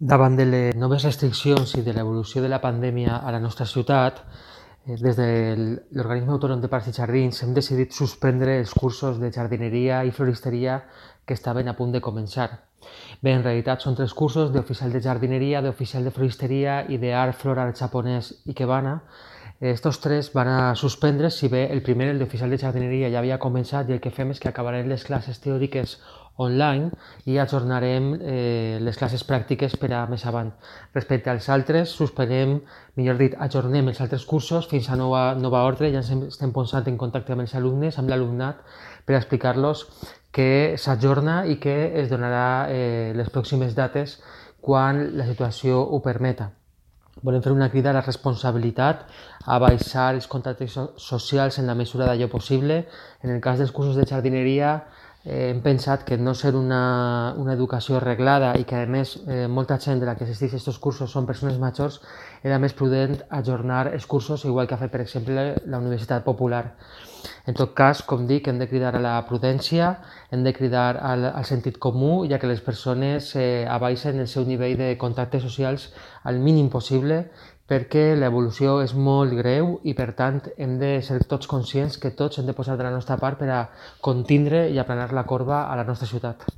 Davant de les noves restriccions i de l'evolució de la pandèmia a la nostra ciutat, des de l'Organisme Autònom de Parcs i Jardins hem decidit suspendre els cursos de jardineria i floristeria que estaven a punt de començar. Bé, en realitat són 3 cursos d'oficial de jardineria, d'oficial de floristeria i d'art floral japonès ikebana. Estos 3 van a suspendre, si bé el primer, el d'oficial de jardineria, ja havia començat i el que fem és que acabarem les classes teòriques online i ajornarem les classes pràctiques per a més avant. Respecte als altres, suspenem, millor dit, ajornem els altres cursos fins a nova ordre. Ja ens estem posant en contacte amb els alumnes, amb l'alumnat, per explicar-los que s'ajorna i que es donarà les pròximes dates quan la situació ho permeta. Volem fer una crida a la responsabilitat, a baixar els contactes socials en la mesura d'allò possible. En el cas dels cursos de jardineria, hem pensat que no ser una educació reglada i que a més molta gent de la que assisteix a aquests cursos són persones majors, era més prudent ajornar els cursos, igual que ha fet per exemple la Universitat Popular. En tot cas, com dic, hem de cridar a la prudència, hem de cridar al sentit comú, ja que les persones abaixen el seu nivell de contactes socials al mínim possible, perquè l'evolució és molt greu i per tant hem de ser tots conscients que tots hem de posar de la nostra part per a contindre i aplanar la corba a la nostra ciutat.